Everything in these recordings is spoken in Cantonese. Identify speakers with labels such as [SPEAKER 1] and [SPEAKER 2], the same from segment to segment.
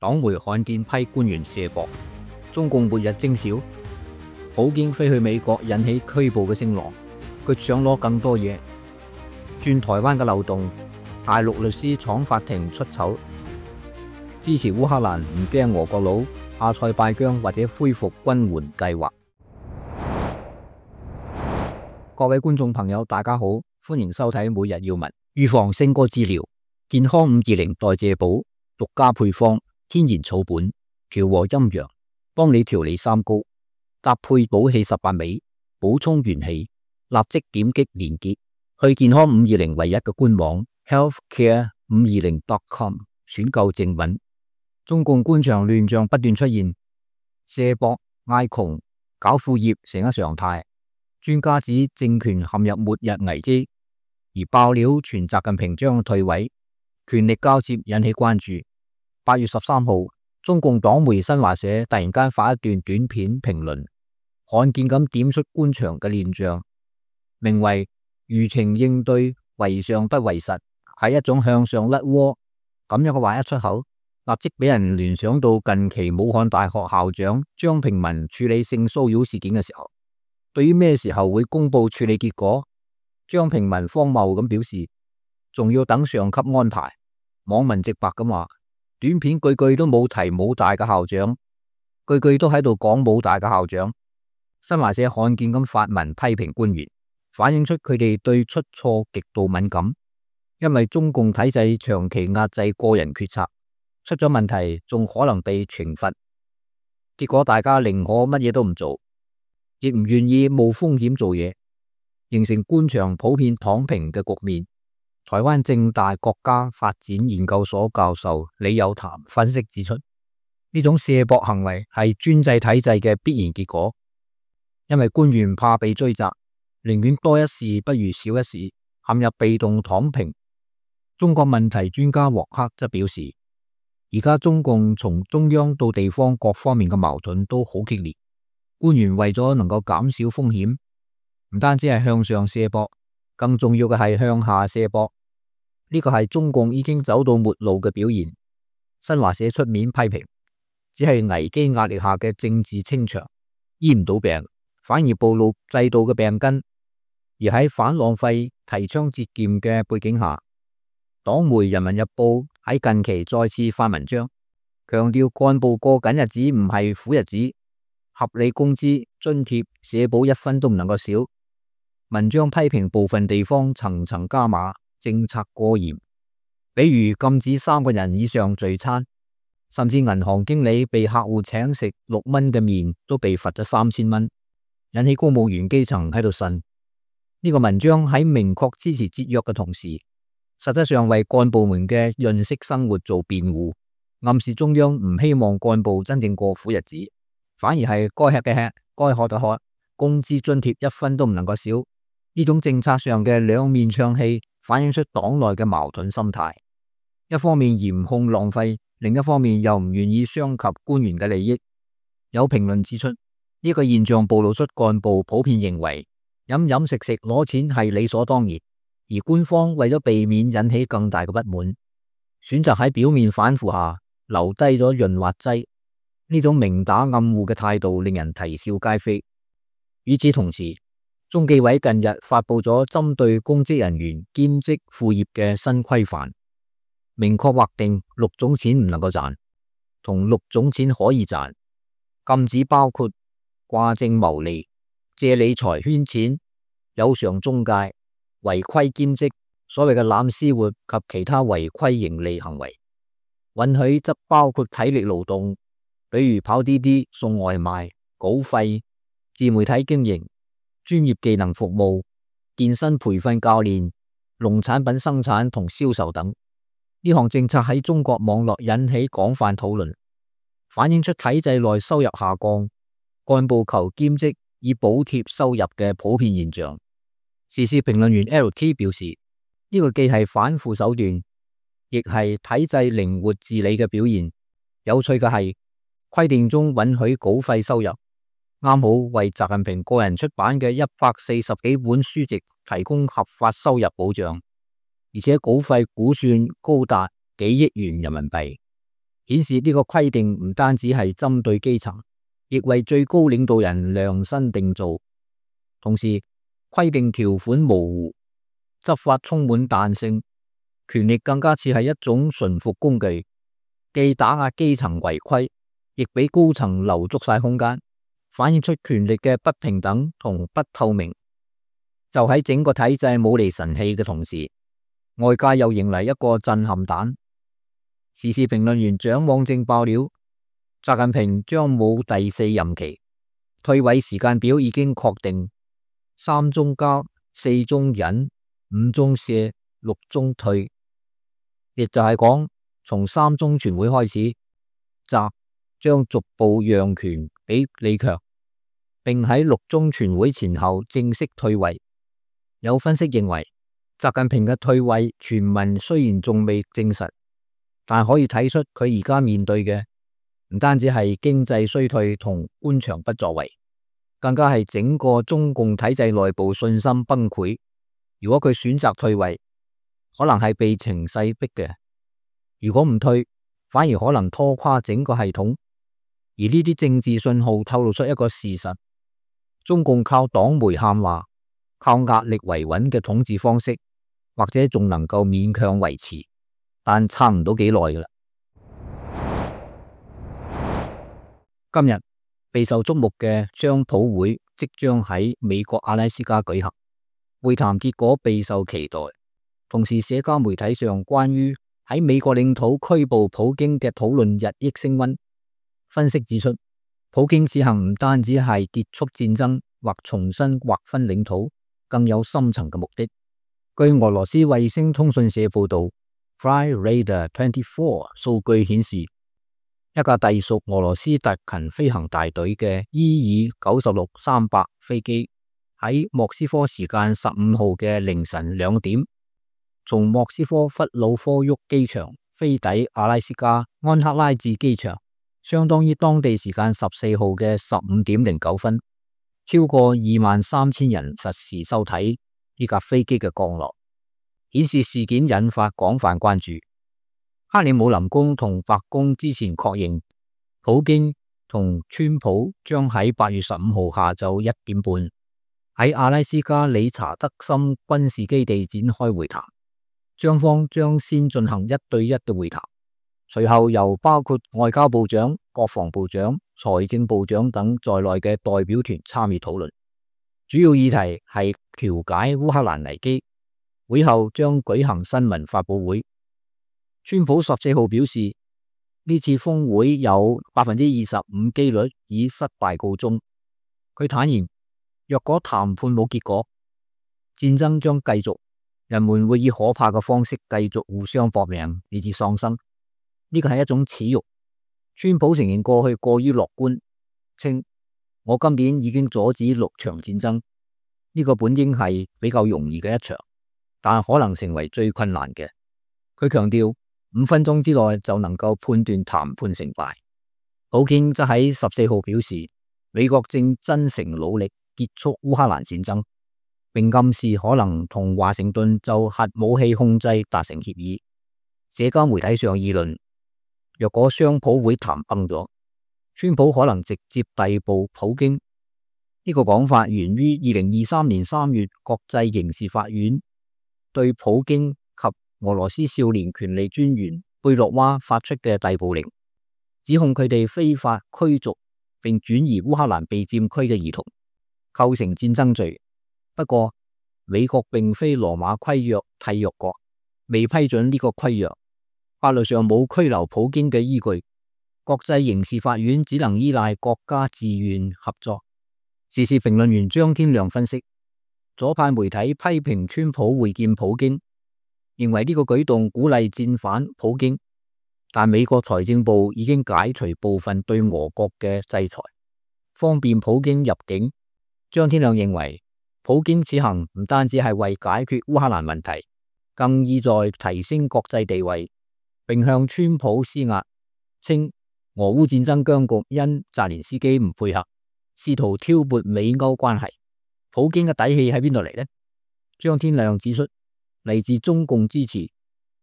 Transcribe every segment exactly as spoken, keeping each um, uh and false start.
[SPEAKER 1] 黨媒罕見批官員卸膊，中共末日徵兆，普京飛去美國引起拘捕嘅聲浪，佢想攞更多嘢。轉台灣嘅漏洞，大陸律師闖法庭出醜，支持烏克蘭唔驚俄國佬，阿塞拜疆或者恢復軍援計劃。各位觀眾朋友，大家好，歡迎收睇每日要聞。預防勝過治療，健康五二零代謝寶獨家配方，天然草本，調和陰陽，幫你調理三高，搭配補氣十八味，補充元氣。立即點擊連結去健康五二零唯一嘅官網 healthcare 五二零 dot com 選購正品。中共官場亂象不斷出現，卸膊、嗌窮、搞副業成咗常態。專家指政權陷入末日危機，而爆料傳習近平將退位，權力交接引起關注。八月十三號，中共黨媒新華社突然間發一段短片評論，罕見咁點出官場嘅亂象，名為輿情應對為上不為實，係一種向上甩鍋。咁樣嘅話一出口，立即俾人聯想到近期武漢大學校長張平民處理性騷擾事件嘅時候。對於咩時候會公布處理結果，張平民荒謬咁表示，仲要等上級安排。網民直白咁話，短片句句都冇提武大嘅校長，句句都喺度講武大嘅校長。新華社罕見咁發文批評官員，反映出佢哋對出錯極度敏感，因為中共體制長期壓制個人決策，出咗問題仲可能被懲罰，結果大家寧可乜嘢都唔做，亦唔願意冒風險做嘢，形成官場普遍躺平嘅局面。台灣政大國家發展研究所教授李有潭分析指出，呢種卸膊行為係專制體制嘅必然結果，因為官員怕被追責，寧願多一事不如少一事，陷入被動躺平。中國問題專家獲克則表示，而家中共從中央到地方各方面嘅矛盾都好激烈，官員為咗能夠減少風險，唔單止係向上卸膊，更重要嘅係向下卸膊。呢個係中共已經走到末路嘅表現。新華社出面批評，只係危機壓力下嘅政治清場，醫唔到病，反而暴露制度嘅病根。而喺反浪費、提倡節儉嘅背景下，黨媒《人民日報》喺近期再次發文章，強調幹部過緊日子唔係苦日子，合理工資、津貼、社保一分都唔能夠少。文章批評部分地方層層加碼，政策過嚴，比如禁止三個人以上聚餐，甚至銀行經理被客戶請食六蚊嘅麵都被罰咗三千蚊，引起公務員基層喺度呻。呢個文章喺明確支持節約嘅同時，實際上為幹部們嘅潤色生活做辯護，暗示中央唔希望幹部真正過苦日子，反而係該吃嘅吃，該喝嘅喝，工資津貼一分都唔能夠少。呢種政策上嘅兩面唱戲，反映出黨內嘅矛盾心態。一方面嚴控浪費，另一方面又唔願意傷及官員嘅利益。有評論指出，呢個現象暴露出幹部普遍認為飲飲食食攞錢係理所當然，而官方為咗避免引起更大嘅不滿，選擇喺表面反腐下留低咗潤滑劑。呢種明打暗護嘅態度令人啼笑皆非。與此同時，中紀委近日發佈咗針對公職人員兼職副業嘅新規範，明確劃定六種錢唔能夠賺，同六種錢可以賺，禁止包括掛證牟利、借理財圈錢、有償中介、違規兼職、所謂嘅攬私活及其他違規盈利行為。允許則包括體力勞動，比如跑滴滴、送外賣、稿費、自媒體經營、專業技能服務、健身培訓教練、農產品生產同銷售等。呢項政策喺中國網絡引起廣泛討論，反映出體制內收入下降，幹部求兼職以補貼收入嘅普遍現象。時事評論員 L T 表示，呢個既係反腐手段，亦係體制靈活治理嘅表現。有趣嘅係，規定中允許稿費收入，啱好為習近平個人出版嘅一百四十幾本書籍提供合法收入保障，而且稿費估算高達幾億元人民幣，顯示呢個規定唔單止係針對基層，亦為最高領導人量身定做。同時，規定條款模糊，執法充滿彈性，權力更加似係一種馴服工具，既打壓基層違規，亦俾高層留足晒空間，反映出權力嘅不平等同不透明。就喺整個體制冇厘神氣嘅同時，外界又迎嚟一個震撼彈。時事評論員蔣往正爆料，習近平將冇第四任期，退位時間表已經確定，三中交、四中忍、五中卸、六中退，亦就係講從三中全會開始，習將逐步讓權俾李強，並喺六中全會前後正式退位。有分析認為，習近平嘅退位傳聞雖然仲未證實，但可以睇出佢而家面對嘅唔單止係經濟衰退同官場不作為，更加係整個中共體制內部信心崩潰。如果佢選擇退位，可能係被情勢逼嘅；如果唔退，反而可能拖垮整個系統。而呢啲政治信號透露出一個事實：中共靠黨媒喊話、靠壓力維穩嘅統治方式，或者仲能夠勉強維持，但撐唔到幾耐㗎喇。今日備受矚目嘅商普會即將喺美國阿拉斯加舉行，會談結果備受期待。同時，社交媒體上關於喺美國領土拘捕普京嘅討論日益升溫。分析指出，普京此行唔單止係結束戰爭或重新劃分領土，更有深層嘅目的。據俄羅斯衛星通訊社報道 ，Flyradar 二十四數據顯示，一架隸屬俄羅斯特勤飛行大隊嘅伊爾九十六三百飛機喺莫斯科時間十五號嘅凌晨兩點，從莫斯科弗魯科沃機場飛抵阿拉斯加安克拉治機場，相當於當地時間十四號嘅十五點零九分。超過二萬三千人實時收睇呢架飛機嘅降落，顯示事件引發廣泛關注。克里姆林宮同白宮之前確認，普京同川普將喺八月十五號下晝一點半喺阿拉斯加理查德森軍事基地展開會談，雙方將先進行一對一嘅會談，隨後由包括外交部長、國防部長、財政部長等在內嘅代表團參與討論，主要議題係調解烏克蘭危機。會後將舉行新聞發佈會。川普十四號表示，呢次峰會有百分之二十五機率以失敗告終。佢坦言，若果談判冇結果，戰爭將繼續，人們會以可怕嘅方式繼續互相搏命，以致喪生。呢個係一種恥辱。川普承認過去過於樂觀，稱我今年已經阻止六場戰爭，呢個本應係比較容易嘅一場，但可能成為最困難嘅。佢強調，五分鐘之內就能夠判斷談判成敗。普京則喺十四號表示，美國正真誠努力結束烏克蘭戰爭，並暗示可能同華盛頓就核武器控制達成協議。社交媒體上議論，若果雙普會談崩咗，川普可能直接逮捕普京。呢個講法源於二零二三年三月國際刑事法院對普京及俄羅斯少年權利專員貝洛娃發出嘅逮捕令，指控佢哋非法驅逐並轉移烏克蘭被佔區嘅兒童，構成戰爭罪。不過，美國並非羅馬規約締約國，未批准呢個規約，法律上冇拘留普京嘅依據。國際刑事法院只能依賴國家自願合作。時事評論員張天亮分析，左派媒體批評川普會見普京，認為呢個舉動鼓勵戰犯普京，但美國財政部已經解除部分對俄國嘅制裁，方便普京入境。張天亮認為，普京此行唔單止係為解決烏克蘭問題，更意在提升國際地位，並向川普施壓，稱俄烏戰爭僵局因澤連斯基唔配合，試圖挑撥美歐關係。普京嘅底氣喺邊度嚟呢？張天亮指出，嚟自中共支持，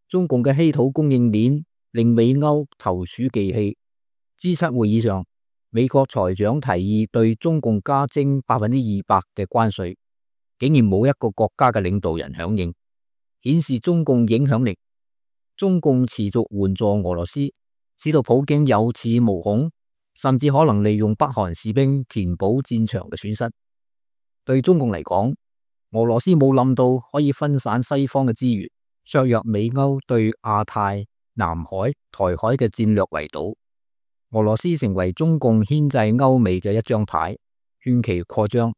[SPEAKER 1] 中共嘅稀土供應鏈令美歐投鼠忌器。G 七會議上，美國財長提議對中共加徵百分之二百嘅關稅，竟然冇一個國家嘅領導人響應，顯示中共影響力。中共持續援助俄羅斯，使到普京有恃無恐，甚至可能利用北韓士兵填補戰場嘅損失。對中共嚟講，俄羅斯冇諗到可以分散西方嘅資源，削弱美歐對亞太、南海、台海嘅戰略圍堵。俄羅斯成為中共牽制歐美嘅一張牌，勸其擴張。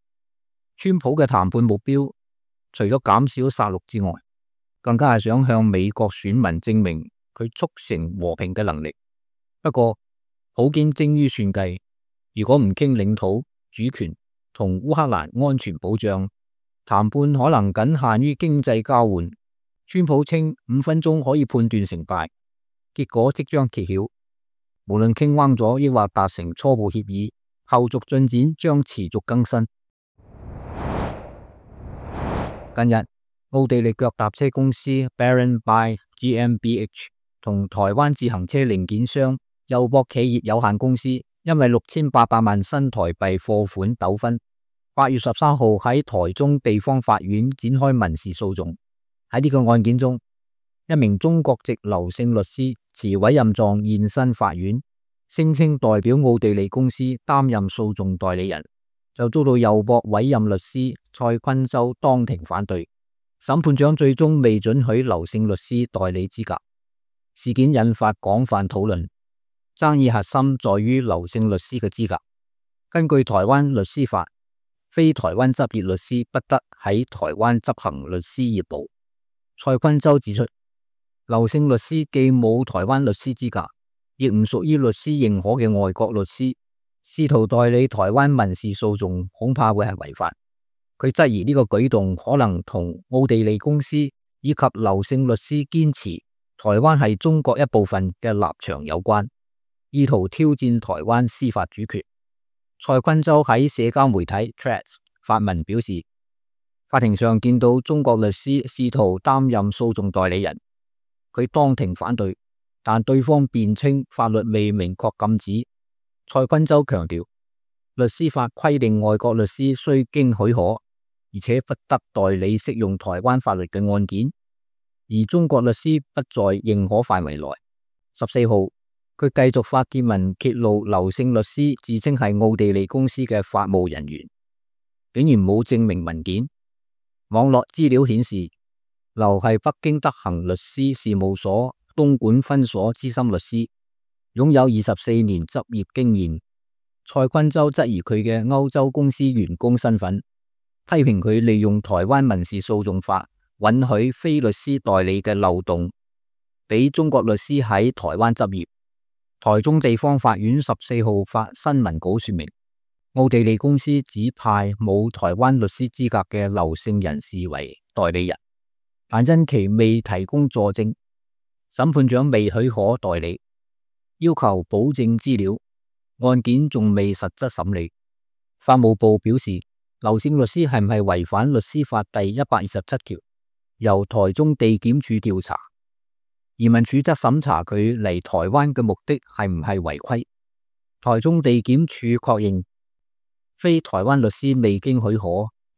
[SPEAKER 1] 川普嘅談判目標，除咗減少殺戮之外，更加係想向美國選民證明佢促成和平嘅能力。不過，普京精於算計，如果唔傾領土主權同烏克蘭安全保障，談判可能僅限於經濟交換。川普稱五分鐘可以判斷成敗，結果即將揭曉。無論傾彎咗抑或達成初步協議，後續進展將持續更新。近日，奧地利腳踏車公司 Baron by G M B H 同台灣自行車零件商友博企業有限公司因為六千八百萬新台幣貨款糾紛，八月十三號喺台中地方法院展開民事訴訟。喺呢個案件中，一名中國籍劉姓律師持委任狀現身法院，聲稱代表奧地利公司擔任訴訟代理人，就遭到友博委任律師蔡坤洲當庭反對。審判長最終未准許劉姓律師代理資格，事件引發廣泛討論。爭議核心在於劉姓律師嘅資格。根據台灣律師法，非台灣執業律師不得喺台灣執行律師業務。蔡坤洲指出，劉姓律師既冇台灣律師資格，亦唔屬於律師認可嘅外國律師，試圖代理台灣民事訴訟恐怕會係違法。佢質疑呢個舉動可能同奧地利公司以及劉姓律師堅持台灣係中國一部分嘅立場有關，意圖挑戰台灣司法主權。蔡坤洲喺社交媒體 Threads 發文表示，法庭上見到中國律師試圖擔任訴訟代理人，佢當庭反對，但對方辯稱法律未明確禁止。蔡坤洲強調，律師法規定外國律師須經許可，而且不得代理適用台灣法律嘅案件，而中國律師不在認可範圍內。十四號，佢繼續發帖文揭露劉姓律師自稱係奧地利公司嘅法務人員，竟然冇證明文件。網絡資料顯示，劉係北京德行律師事務所東莞分所資深律師，擁有二十四年執業經驗。蔡坤洲質疑佢嘅歐洲公司員工身份，批評佢利用台灣民事訴訟法允許非律師代理嘅漏洞，俾中國律師喺台灣執業。台中地方法院十四號發新聞稿說明，奧地利公司指派冇台灣律師資格嘅劉姓人士為代理人，但因其未提供佐證，審判長未許可代理，要求保證資料，案件仲未實質審理。法務部表示，劉姓律師係唔係違反律師法第一百二十七條，由台中地檢署調查。移民署則審查佢嚟台灣嘅目的係唔係違規。台中地檢署確認，非台灣律師未經許可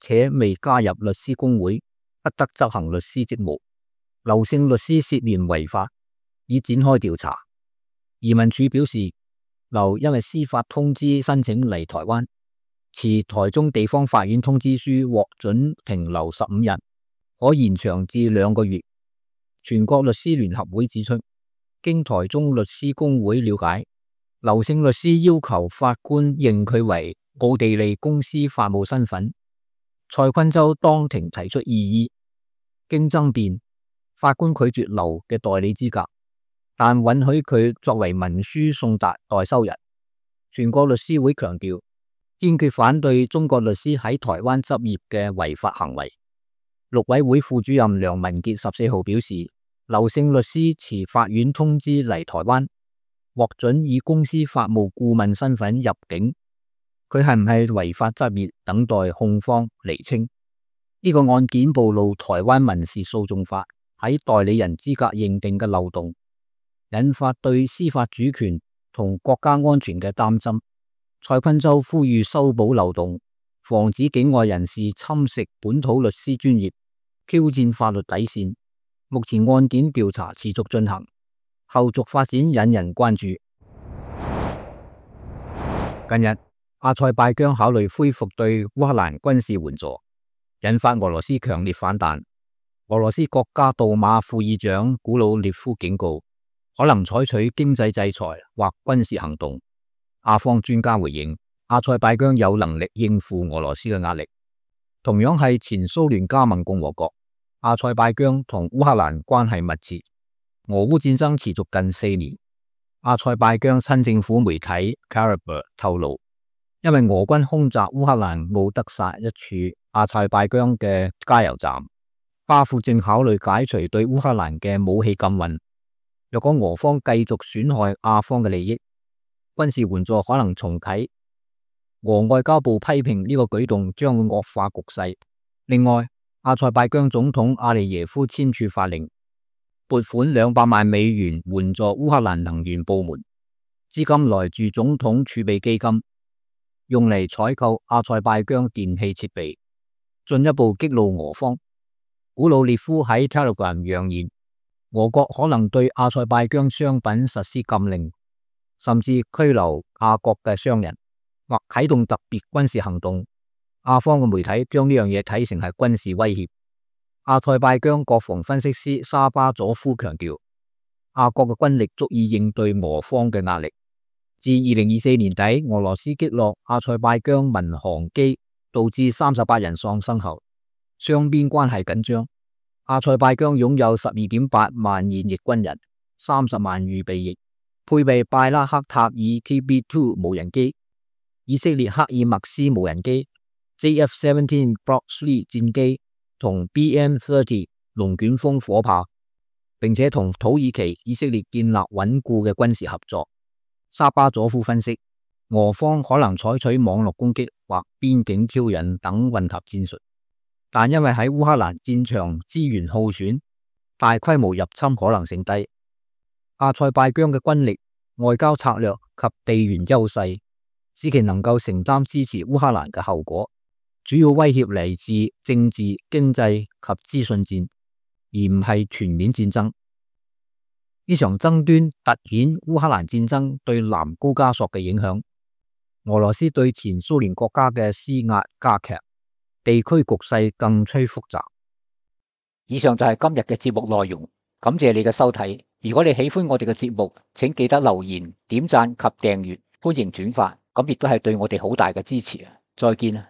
[SPEAKER 1] 且未加入律師公會，不得執行律師職務。劉姓律師涉嫌違法，已展開調查。移民署表示，劉因為司法通知申請嚟台灣，持台中地方法院通知書獲准停留十五日，可延長至兩個月。全國律師聯合會指出，經台中律師公會了解，劉姓律師要求法官認佢為奧地利公司法務身份。蔡坤洲當庭提出異議，經爭辯，法官拒絕劉嘅代理資格，但允許佢作為文書送達代收人。全國律師會強調，堅決反對中國律師喺台灣執業嘅違法行為。陸委會副主任梁文傑十四號表示，劉姓律師持法院通知嚟台灣，獲准以公司法務顧問身份入境，佢係唔係違法執業，等待控方釐清。呢個案件暴露台灣民事訴訟法喺代理人資格認定嘅漏洞。引發對司法主權同國家安全嘅擔心。蔡坤洲呼籲修補漏洞，防止境外人士侵蝕本土律師專業，挑戰法律底線。目前案件調查持續進行，後續發展引人關注。近日，阿塞拜疆考慮恢復對烏克蘭軍事援助，引發俄羅斯強烈反彈。俄羅斯國家杜馬副議長古魯列夫警告，可能採取經濟制裁或軍事行動。阿方專家回應，阿塞拜疆有能力應付俄羅斯嘅壓力。同樣係前蘇聯加盟共和國，阿塞拜疆同烏克蘭關係密切。俄烏戰爭持續近四年。阿塞拜疆親政府媒體 Karabakh 透露，因為俄軍空襲烏克蘭奧德薩一處阿塞拜疆嘅加油站，巴庫正考慮解除對烏克蘭嘅武器禁運。若果俄方繼續損害阿方嘅利益，軍事援助可能重啟。俄外交部批評呢個舉動將會惡化局勢。另外，阿塞拜疆總統阿利耶夫簽署法令，撥款兩百萬美元援助烏克蘭能源部門，資金來自總統儲備基金，用嚟採購阿塞拜疆電氣設備，進一步激怒俄方。古魯列夫喺 Telegram 揚言，俄國可能對阿塞拜疆商品實施禁令，甚至拘留阿國嘅商人，或啟動特別軍事行動。阿方嘅媒體將呢樣嘢睇成係軍事威脅。阿塞拜疆國防分析師沙巴佐夫強調，阿國嘅軍力足以應對俄方嘅壓力。自二零二四年底俄羅斯擊落阿塞拜疆民航機，導致三十八人喪生後，雙邊關係緊張。阿塞拜疆擁有十二點八萬現役軍人，三十萬預備役，配備拜拉克塔爾 T B 二 無人機、以色列克爾默斯無人機、J F 十七 Block 三戰機同 B M 三十龍捲風火炮，並且同土耳其、以色列建立穩固嘅軍事合作。沙巴佐夫分析，俄方可能採取網絡攻擊或邊境挑釁等混合戰術，但因為喺烏克蘭戰場資源耗損，大規模入侵可能性低。阿塞拜疆嘅軍力、外交策略及地緣優勢，使其能夠承擔支持烏克蘭嘅後果。主要威脅嚟自政治、經濟及資訊戰，而唔係全面戰爭。呢場爭端凸顯烏克蘭戰爭對南高加索嘅影響。俄羅斯對前蘇聯國家嘅施壓加劇，地區局勢更趨複雜。以上就係今日嘅節目內容，感謝你嘅收睇。如果你喜歡我哋嘅節目，請記得留言、點讚及訂閱，歡迎轉發，咁亦都係對我哋好大嘅支持啊！再見啊！